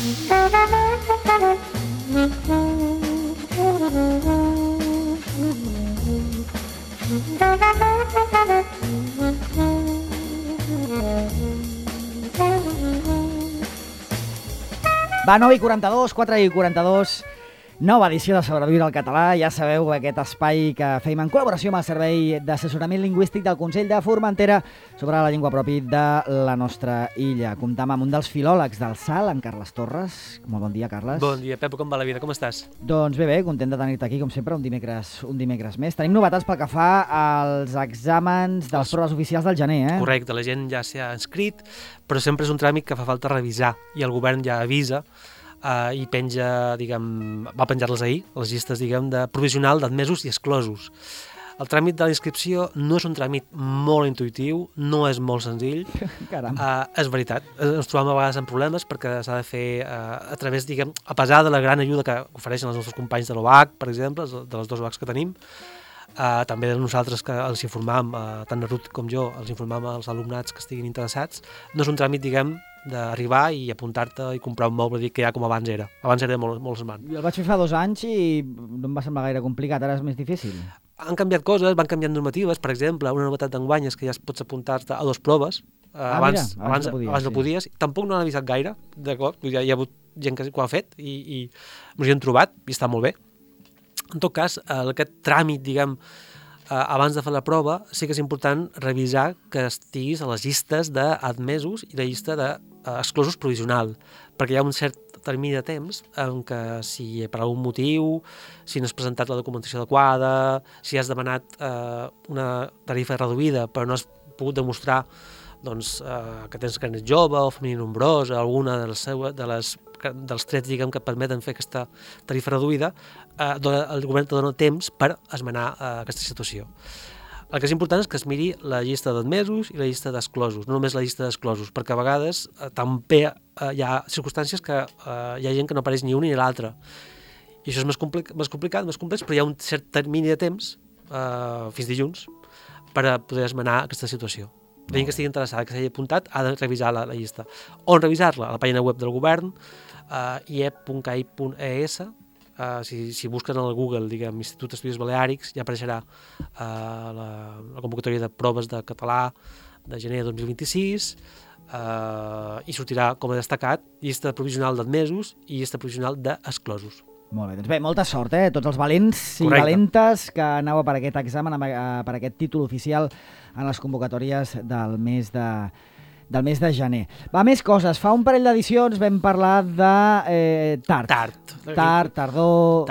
Va, 9:42, 4:42, nova edició de Sobreviure al català. Ja sabeu, aquest espai que fem en col·laboració amb el Servei d'Assessorament Lingüístic del Consell de Formentera sobre la llengua pròpia de la nostra illa. Comptam amb un dels filòlegs del SAL, en Carles Torres. Molt bon dia, Carles. Bon dia, Pep, com va la vida? Com estàs? Doncs bé, content de tenir-te aquí, com sempre, un dimecres més. Tenim novetats pel que fa als exàmens de les proves oficials del gener, eh? Correcte, la gent ja s'hi ha inscrit, però sempre és un tràmit que fa falta revisar i el govern ja avisa i penja, va penjar-les ahir, les llistes, de provisional d'admesos i exclosos. El tràmit de la inscripció no és un tràmit molt intuïtiu, no és molt senzill. Caram. És veritat, ens trobem a vegades en problemes perquè s'ha de fer a través, a pesar de la gran ajuda que ofereixen els nostres companys de l'OAC, per exemple, de les dues OACs que tenim, també de nosaltres que els informam, tant la Ruth com jo, els informam als alumnats que estiguin interessats. No és un tràmit, d'arribar i apuntar-te i comprar un moble que ja com abans era. Abans era molt semblant. Jo el vaig fer fa 2 anys i no em va semblar gaire complicat, ara és més difícil. Han canviat coses, van canviant normatives, per exemple, una novetat d'enguany és que ja pots apuntar-te a 2 proves. Abans no podies. Tampoc no han avisat gaire, d'acord? Hi ha hagut gent que ho ha fet i ens hi hem trobat i està molt bé. En tot cas, aquest tràmit, abans de fer la prova, sí que és important revisar que estiguis a les llistes d'admesos i la llista d'exclosos provisional, perquè hi ha un cert termini de temps en què si per algun motiu, si no has presentat la documentació adequada, si has demanat una tarifa reduïda però no has pogut demostrar que tens carnet jove o família nombrosa, alguna dels trets que permeten fer aquesta tarifa reduïda, el govern te dona temps per esmenar aquesta situació. El que és important és que es miri la llista d'admesos i la llista d'exclosos, no només la llista d'exclosos, perquè a vegades també hi ha circumstàncies que hi ha gent que no apareix ni un ni l'altre. I això és més complicat, més complex, però hi ha un cert termini de temps, fins dilluns, per a poder esmenar aquesta situació. La gent que estigui interessada, que s'hagi apuntat, ha de revisar la llista. On revisar-la? A la pàgina web del govern, iep.cai.es. Si busquen al Google, Institut d'Estudis Baleàrics, ja apareixerà la convocatòria de proves de català de gener de 2026 i sortirà com a destacat llista provisional d'admesos i llista provisional d'exclosos. Molt bé, doncs bé, molta sort, tots els valents i valentes que aneu per aquest examen, per aquest títol oficial en les convocatòries del mes de gener. Va, més coses. Fa un parell d'edicions vam parlar de tard, tardor,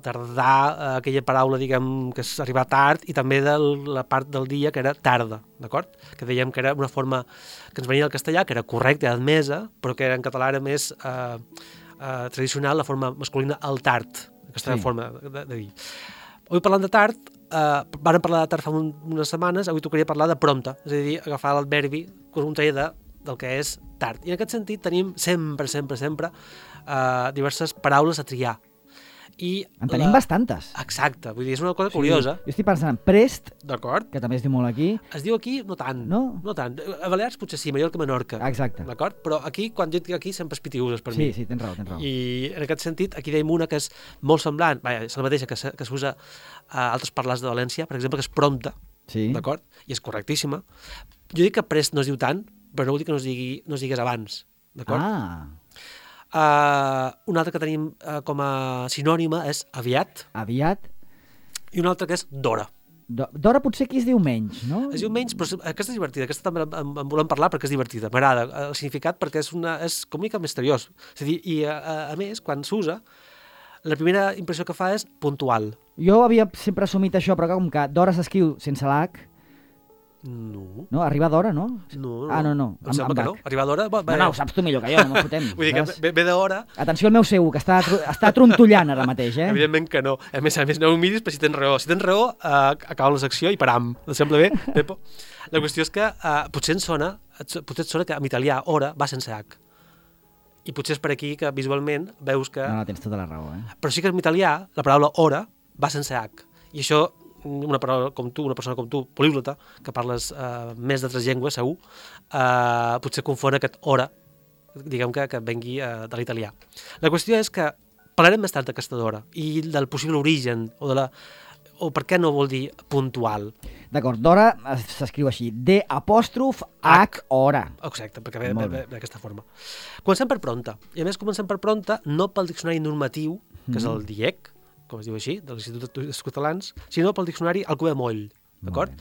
tardar, aquella paraula, que és arribar tard, i també de la part del dia que era tarda, d'acord? Que dèiem que era una forma que ens venia del castellà, que era correcta i admesa, però que en català era més tradicional, la forma masculina, el tard, aquesta forma de dir. Avui parlant de tard, vam parlar de tard fa unes setmanes, avui tocaria parlar de prompte, és a dir, agafar l'adverbi contrari del que és tard. I en aquest sentit tenim sempre diverses paraules a triar. En tenim bastantes. Exacte, vull dir, és una cosa curiosa. Jo estic pensant en prest, d'acord, que també es diu molt aquí. Es diu aquí, no tant. No tant. A Balears potser sí, Mallorca, Menorca. Exacte. D'acord? Però aquí, quan jo dic aquí, sempre és pitiuses per mi. Sí, tens raó. I en aquest sentit, aquí deim una que és molt semblant, és la mateixa que s'usa a altres parlars de València, per exemple, que és prompte, d'acord? I és correctíssima. Jo dic que prest no es diu tant, però no vol dir que no es digués abans, d'acord? Una altra que tenim com a sinònima és aviat. Aviat. I una altra que és d'hora. D'hora potser aquí es diu menys, no? Es diu menys, però aquesta és divertida. Aquesta també en volem parlar perquè és divertida. M'agrada el significat perquè és com una mica misteriós. És a dir, i a més, quan s'usa, la primera impressió que fa és puntual. Jo havia sempre assumit això, però com que d'hora s'escriu sense l'H. No, arribar d'hora, no? No. No. Em sembla que no. Arribar d'hora... No, ho saps tu millor que jo, no m'ho fotem. Vull dir que ve d'hora... Atenció al meu seu, que està trontollant ara mateix, Evidentment que no. A més, no ho miris, però si tens raó. Si tens raó, acaba la secció i param. Et sembla bé, Pepo? La qüestió és que potser et sona que en italià hora va sense H. I potser és per aquí que visualment veus que... No, tens tota la raó, Però sí que en italià la paraula hora va sense H. I això... una persona com tu, políglota, que parles més de 3 llengües, segur, potser confon aquest hora diguem que vengui de l'italià. La qüestió és que parlarem més tard d'aquesta d'hora i del possible origen o per què no vol dir puntual. D'acord, d'hora s'escriu així, D''H hora. Exacte, perquè ve d'aquesta forma. Comencem per prompte, i a més comencem per prompte no pel diccionari normatiu, que és el DIEC, com es diu així, de l'Institut d'Estudis Catalans, sinó pel diccionari Alcover Moll, d'acord?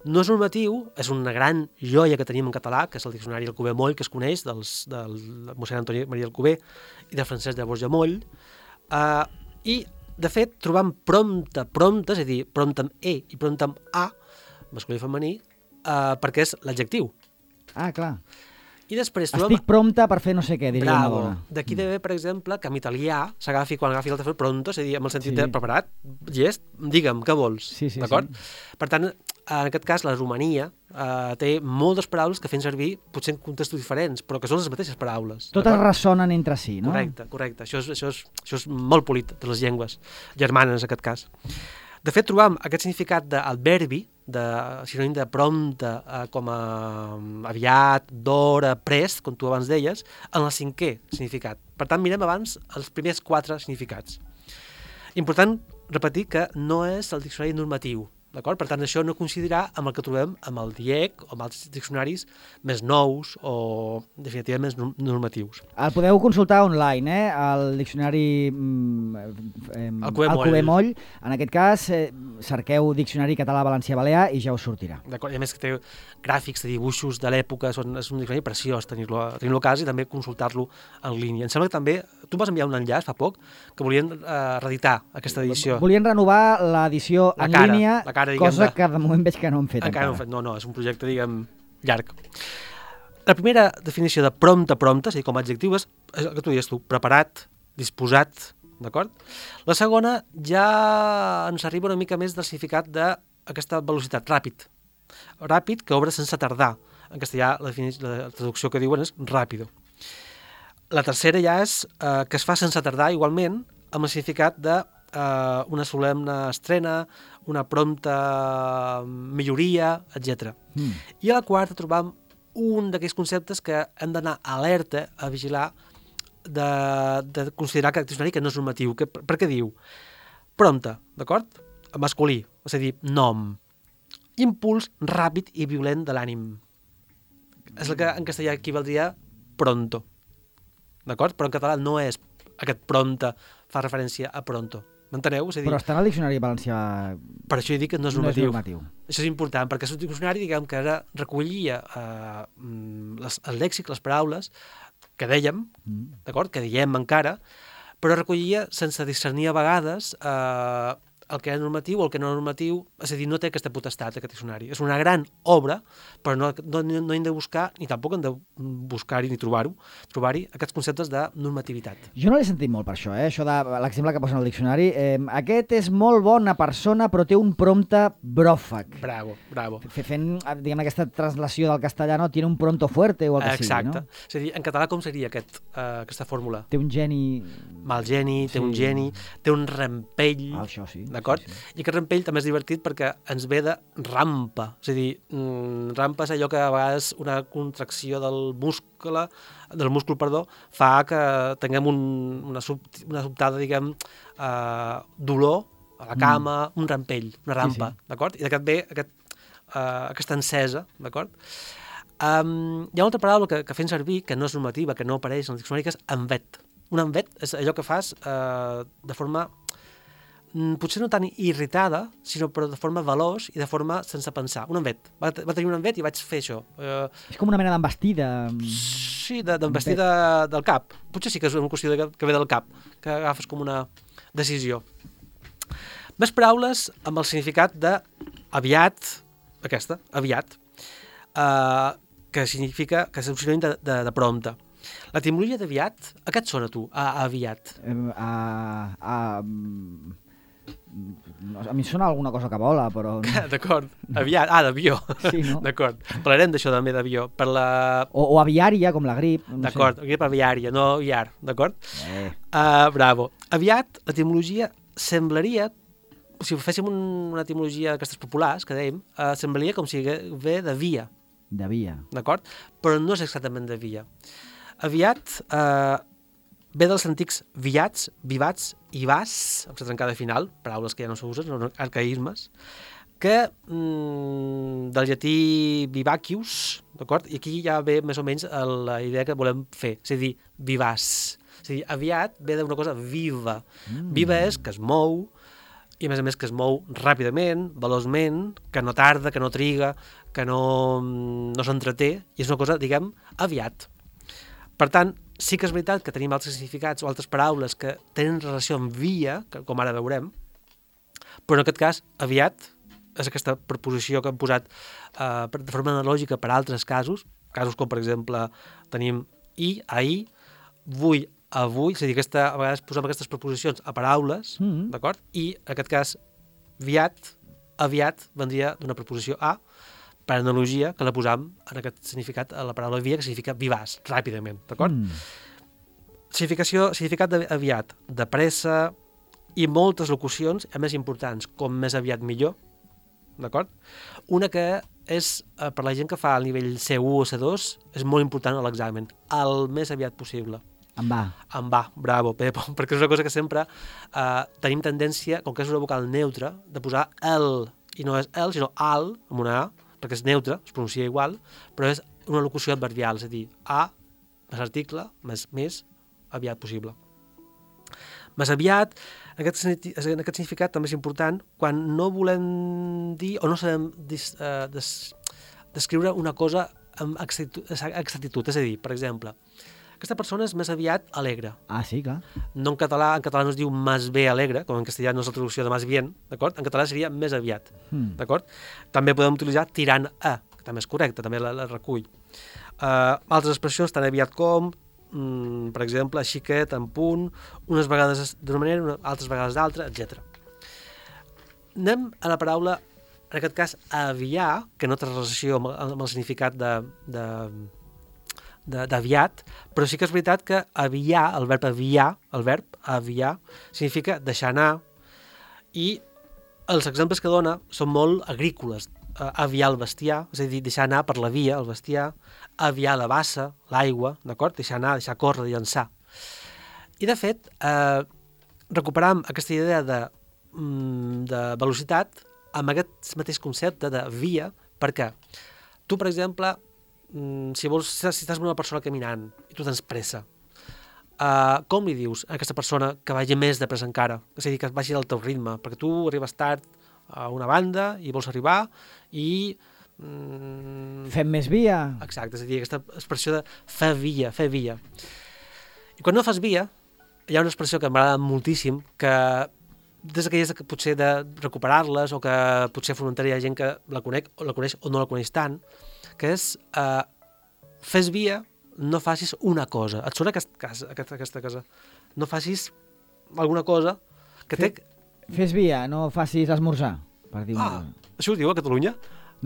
No és normatiu, és una gran joia que tenim en català, que és el diccionari Alcover Moll, que es coneix del mossèn Antoni Maria Alcover i de Francesc de Borja Moll, i de fet trobam prompte, és a dir, prompte amb E i prompte amb A, masculí i femení, perquè és l'adjectiu. Ah, clar. I després estic prompte per fer no sé què, diria una dona. D'aquí de bé, per exemple, que en italià s'agafi quan agafi l'altre pronto, és a dir, amb el sentit de preparat, llest, digue'm, què vols, d'acord? Per tant, en aquest cas, la Romania té moltes paraules que fem servir, potser en contextos diferents, però que són les mateixes paraules. Totes ressonen entre si, no? Correcte. Això és molt polit de les llengües germanes, en aquest cas. De fet, trobam aquest significat d'adverbi, sinònim de prompte, com a aviat, d'hora, prest, com tu abans deies, en el 5è significat. Per tant, mirem abans els primers 4 significats. Important repetir que no és el diccionari normatiu, d'acord? Per tant, això no coincidirà amb el que trobem amb el DIEC o amb altres diccionaris més nous o definitivament més normatius. El podeu consultar online, el diccionari Alcover Moll. En aquest cas, cerqueu diccionari català-valencià-balear i ja us sortirà. D'acord, i a més que té gràfics de dibuixos de l'època, és un diccionari preciós tenir-lo a casa i també consultar-lo en línia. Em sembla que també, tu vas enviar un enllaç fa poc, que volien reeditar aquesta edició. Volien renovar l'edició en línia, cosa que de moment veig que no han fet encara. No, és un projecte, diguem, llarg. La primera definició de prompte, és a dir, com a adjectiu, és el que tu dius tu, preparat, disposat, d'acord? La segona ja ens arriba una mica més del significat d'aquesta velocitat, ràpid, que obre sense tardar. En castellà la traducció que diuen és ràpido. La tercera ja és que es fa sense tardar igualment, amb el significat de una solemne estrena, una prompta milloria, etc. I a la quarta trobam un d'aquells conceptes que hem d'anar alerta a vigilar de considerar que el diccionari que no és normatiu. Per què diu? Prompte, d'acord? Masculí, és a dir, nom. Impuls ràpid i violent de l'ànim. És el que en castellà equivaldria pronto, d'acord? Però en català no és aquest prompte, fa referència a pronto. M'enteneu? Però està en el diccionari valencià... Per això he dit que no és normatiu. Això és important, perquè és un diccionari, diguem, que ara recollia el lèxic, les paraules, que dèiem, d'acord? Que diem encara, però recollia sense discernir a vegades el que és normatiu o el que no és normatiu, és a dir, no té aquesta potestat, aquest diccionari. És una gran obra, però no hem de buscar, ni tampoc hem de buscar-hi ni trobar-hi aquests conceptes de normativitat. Jo no l'he sentit molt per això, això de l'exemple que posen al diccionari. Aquest és molt bona persona, però té un prompte bròfag. Bravo. Fent, diguem, aquesta translació del castellà, no? Tiene un pronto fuerte o el que sigui, no? Exacte. És a dir, en català com seria aquesta fórmula? Té un geni... Mal geni, té un geni, té un rampell... Això sí. D'acord? Sí. I aquest rampell també és divertit perquè ens ve de rampa. És a dir, rampa és allò que a vegades una contracció del múscul, fa que tinguem una sobtada, diguem, dolor a la cama, un rampell, una rampa, d'acord? I d'aquest ve aquesta encesa, d'acord? Hi ha una altra paraula que fem servir, que no és normativa, que no apareix en el diccionari, que és envet. Un envet és allò que fas de forma... potser no tan irritada, sinó però de forma veloç i de forma sense pensar. Un envet. Va tenir un envet i vaig fer això. És com una mena d'envestida. Sí, d'envestida del cap. Potser sí que és una qüestió que ve del cap, que agafes com una decisió. Més paraules amb el significat d'aviat, aviat, que significa que és un sinònim de prompte. L'etimologia d'aviat, a què et sona tu, aviat? A mi em sona alguna cosa que vola, però... D'acord, aviat, d'avió. Sí, no? D'acord, parlarem d'això també d'avió. O aviària, com la grip. D'acord, grip aviària, no aviar, d'acord? Bravo. Aviat, l'etimologia semblaria, si féssim una etimologia d'aquestes populars, que dèiem, semblaria com si ve de via. De via. D'acord? Però no és exactament de via. Aviat ve dels antics viats, vivats i vas, amb la trencada final, paraules que ja no s'usen, són arcaïsmes, que del llatí vivacius, d'acord? I aquí ja ve més o menys la idea que volem fer, és a dir, vivaç. És a dir, aviat ve d'una cosa viva. Viva és que es mou, i a més que es mou ràpidament, veloçment, que no tarda, que no triga, que no s'entreté, i és una cosa, diguem, aviat. Per tant, sí que és veritat que tenim altres significats o altres paraules que tenen relació amb via, com ara veurem, però en aquest cas, aviat, és aquesta preposició que hem posat de forma analògica per a altres casos com, per exemple, tenim i, ahir, vull, avui, és a dir, a vegades posem aquestes preposicions a paraules, d'acord? I, en aquest cas, aviat, vendria d'una preposició a, per analogia, que la posam en aquest significat a la paraula via, que significa vivaç, ràpidament, d'acord? Significat d'aviat, de pressa, i moltes locucions, a més importants, com més aviat millor, d'acord? Una que és, per la gent que fa el nivell C1 o C2, és molt important a l'examen, el més aviat possible. Em va, bravo, Pep, perquè és una cosa que sempre tenim tendència, com que és una vocal neutra, de posar el, i no és el, sinó al, amb una A, perquè és neutre, es pronuncia igual, però és una locució adverbial, és a dir, a, més article, més aviat possible. Més aviat, en aquest significat també és important quan no volem dir o no sabem descriure una cosa amb exactitud. És a dir, per exemple, aquesta persona és més aviat alegre. Ah, sí, clar. No en català no es diu más bé alegre, com en castellà no és la traducció de más bien, d'acord? En català seria més aviat, d'acord? També podem utilitzar tirant a, que també és correcte, també la recull. Altres expressions, tan aviat com, per exemple, xiquet, en punt, unes vegades d'una manera, altres vegades d'altra, etc. Anem a la paraula, en aquest cas, aviar, que no té relació amb el significat d'aviat, però sí que és veritat que aviar, el verb aviar, significa deixar anar, i els exemples que dona són molt agrícoles. Aviar el bestiar, és a dir, deixar anar per la via, el bestiar, aviar la bassa, l'aigua, d'acord? Deixar anar, deixar córrer, llançar. I, de fet, recuperam aquesta idea de velocitat amb aquest mateix concepte de via, perquè tu, per exemple, si estàs amb una persona caminant i tu tens pressa, com li dius a aquesta persona que vagi més de pressa encara? És a dir, que vagi al teu ritme, perquè tu arribes tard a una banda i vols arribar i... Fem més via. Exacte, és a dir, aquesta expressió de fer via. I quan no fas via, hi ha una expressió que m'agrada moltíssim, que des d'aquelles que potser de recuperar-les o que potser a Formentera hi ha gent que la coneix o no la coneix tant, que és fes via, no facis una cosa. Et sona aquesta cosa? No facis alguna cosa que té... Fes via, no facis esmorzar, per dir una cosa. Això ho diu a Catalunya?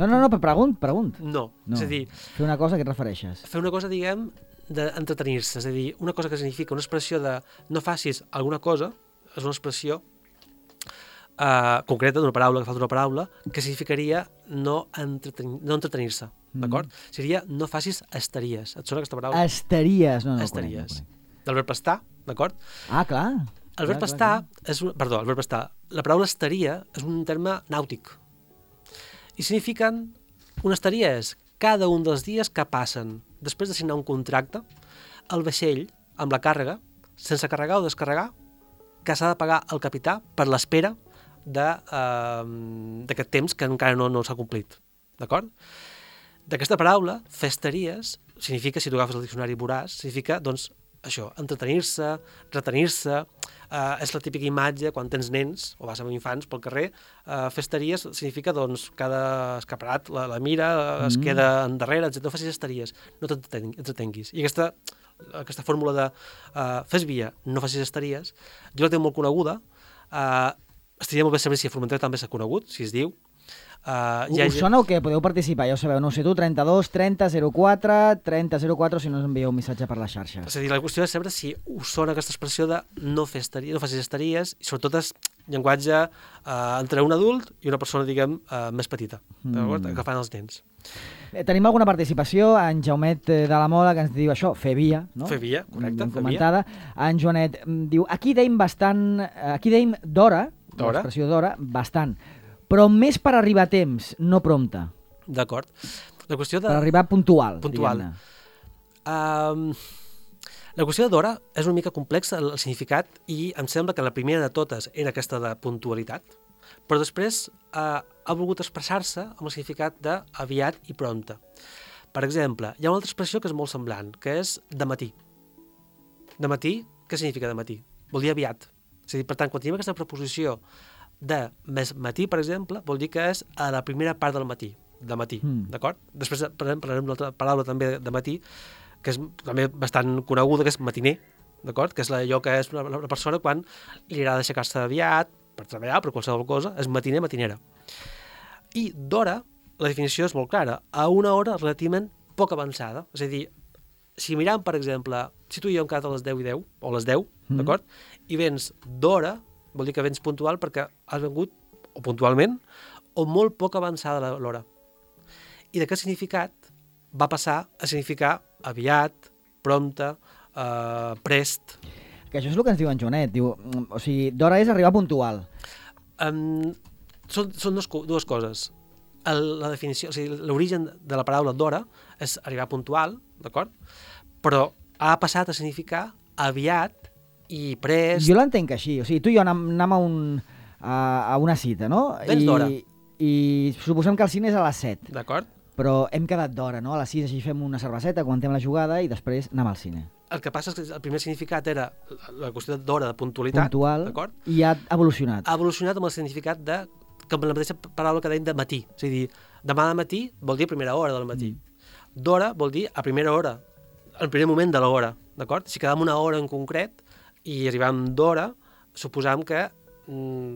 No, però pregunt. No, és a dir... Fer una cosa, a què et refereixes? Fer una cosa, diguem, d'entretenir-se, és a dir, una cosa que significa una expressió de no facis alguna cosa, és una expressió concreta d'una paraula, que falta una paraula, que significaria no entretenir-se, d'acord? Seria no facis estaries. Et sona aquesta paraula? Estaries, no. Estaries. Del verb estar, d'acord? Ah, clar. El verb estar és... Perdó, el verb estar. La paraula estaria és un terme nàutic. I signifiquen... Una estaria és cada un dels dies que passen després de signar un contracte, el vaixell, amb la càrrega, sense carregar o descarregar, que s'ha de pagar al capità per l'espera d'aquest temps que encara no s'ha complit. D'acord? D'aquesta paraula, festeries, significa, si tu agafes el diccionari veuràs, significa, doncs, això, entretenir-se, retenir-se, és la típica imatge quan tens nens o vas amb infants pel carrer, festeries significa, doncs, cada escaparat la mira, es queda endarrere, etc. No facis estaries, no t'entretenguis. I aquesta fórmula de fes via, no facis estaries, jo la tenc molt coneguda, estaria molt bé saber si a Formentera també s'ha conegut, si es diu. Us sona o què? Podeu participar, ja ho sabeu, no sé tu, 32 30 04 30 04 si no us envieu un missatge per les xarxes. És a dir, la qüestió és saber si us sona aquesta expressió de no facis estaries, i sobretot és llenguatge entre un adult i una persona, diguem, més petita, que fan els nens. Tenim alguna participació, en Jaumet de la Mola, que ens diu això, fer via, no? Fer via, correcte, fer comentada. En Joanet diu, aquí deim d'hora, l'expressió d'hora, bastant, però més per arribar a temps, no prompte. D'acord. La qüestió de... Per arribar puntual. La qüestió d'hora és una mica complexa, el significat, i em sembla que la primera de totes era aquesta de puntualitat, però després ha volgut expressar-se amb el significat d'aviat i prompte. Per exemple, hi ha una altra expressió que és molt semblant, que és de matí. De matí, què significa de matí? Vol dir aviat. És a dir, per tant, quan tenim aquesta preposició de més matí, per exemple, vol dir que és a la primera part del matí, de matí, d'acord? Després parlarem d'una altra paraula també de matí, que és també bastant coneguda, que és matiner, d'acord? Que és allò que és la persona quan li agrada aixecar-se aviat, per treballar, per qualsevol cosa, és matiner, matinera. I d'hora, la definició és molt clara, a una hora relativament poc avançada. És a dir, si mirem, per exemple, si tu i jo hem quedat a les 10 i 10, o a les 10, d'acord? I vens d'hora, vol dir que vens puntual perquè has vengut, o puntualment, o molt poc avançada l'hora. I d'aquest significat va passar a significar aviat, prompte, prest. Que això és el que ens diu en Joanet. Diu, o sigui, d'hora és arribar puntual. Són dues coses. La definició, o sigui, l'origen de la paraula d'hora és arribar puntual, d'acord? Però ha passat a significar aviat i prest. Jo l'entenc així. O sigui, tu i jo anem a una cita, no? Vens d'hora. I suposem que el cine és a les 7. D'acord. Però hem quedat d'hora, no? A les 6 així fem una cerveseta, comentem la jugada i després anem al cine. El que passa és que el primer significat era la qüestió d'hora, de puntualitat. Puntual, d'acord? I ha evolucionat. Ha evolucionat amb el significat de, com la mateixa paraula que dèiem de matí. És a dir, demà de matí vol dir a primera hora del matí. D'hora vol dir a primera hora, al primer moment de l'hora, d'acord? Si quedam una hora en concret i arribam d'hora, suposam que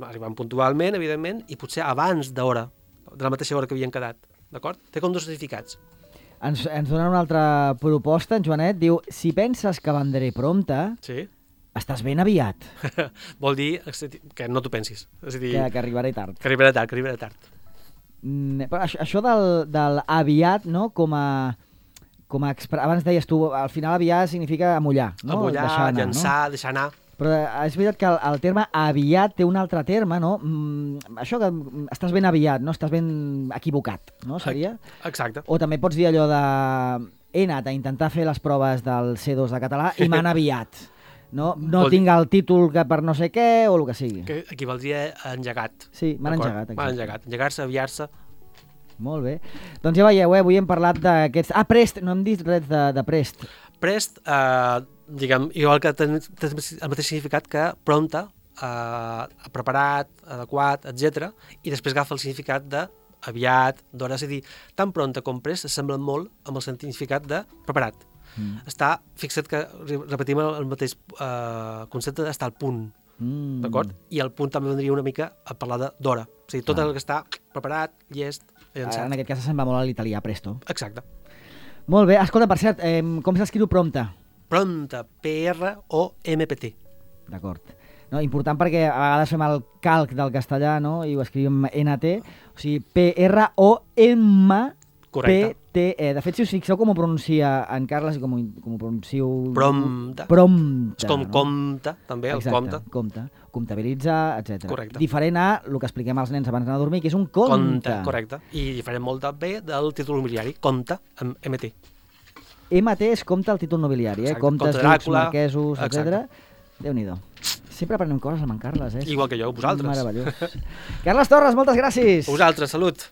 arribam puntualment, evidentment, i potser abans d'hora, de la mateixa hora que havíem quedat. D'acord? Té com dos significats. Ens donen una altra proposta, en Joanet. Diu, si penses que vendré prompte, sí. Estàs ben aviat. Vol dir que no t'ho pensis. És a dir, que arribaré tard. Que arribaré tard. Però això del aviat, no? Com a abans deies tu, al final aviat significa amollar. No? Amollar, anar, llançar, no? Deixar anar. Però és veritat que el terme aviat té un altre terme, no? Això que estàs ben aviat, no? Estàs ben equivocat, no? Seria? Exacte. O també pots dir allò de he anat a intentar fer les proves del C2 de català i m'han aviat. No tinc el títol que per no sé què o el que sigui. Que equivaldria a engegat. Sí, m'han engegat. M'han engegat. Engegar-se, aviar-se. Molt bé. Doncs ja veieu, avui hem parlat d'aquests... prest, no hem dit res de prest. Prest, diguem, igual que té el mateix significat que prompte, preparat, adequat, etc. I després agafa el significat d'aviat, d'hora. És a dir, tant prompte com prest s'assemblen molt amb el significat de preparat. Està fixat que repetim el mateix concepte d'estar al punt, d'acord? I el punt també vendria una mica a parlar d'hora. O sigui, tot el que està preparat, llest, llançat. En aquest cas se'n va molt a l'italià, presto. Exacte. Molt bé. Escolta, per cert, com s'escriu prompte? Prompte, P-R-O-M-P-T. D'acord. No, important perquè a vegades fem el calc del castellà, no? I ho escrivim N-T, o sigui, P-R-O-M-P-T-E. De fet, si us fixeu com ho pronuncia en Carles i com ho pronuncio... Prompte. Prompte. És com compte, també, el compte. Compte. Comptabilitzar, etc. Correcte. Diferent a el que expliquem als nens abans d'anar a dormir, que és un conte. Conte, correcte. I diferent molt també del títol nobiliari, compte, amb MT. MT és compte al títol nobiliari, comptes, ducs, marquesos, etc. Déu-n'hi-do. Sempre aprenem coses amb en Carles, Igual que jo, vosaltres. Meravellós. Carles Torres, moltes gràcies. Vosaltres, salut.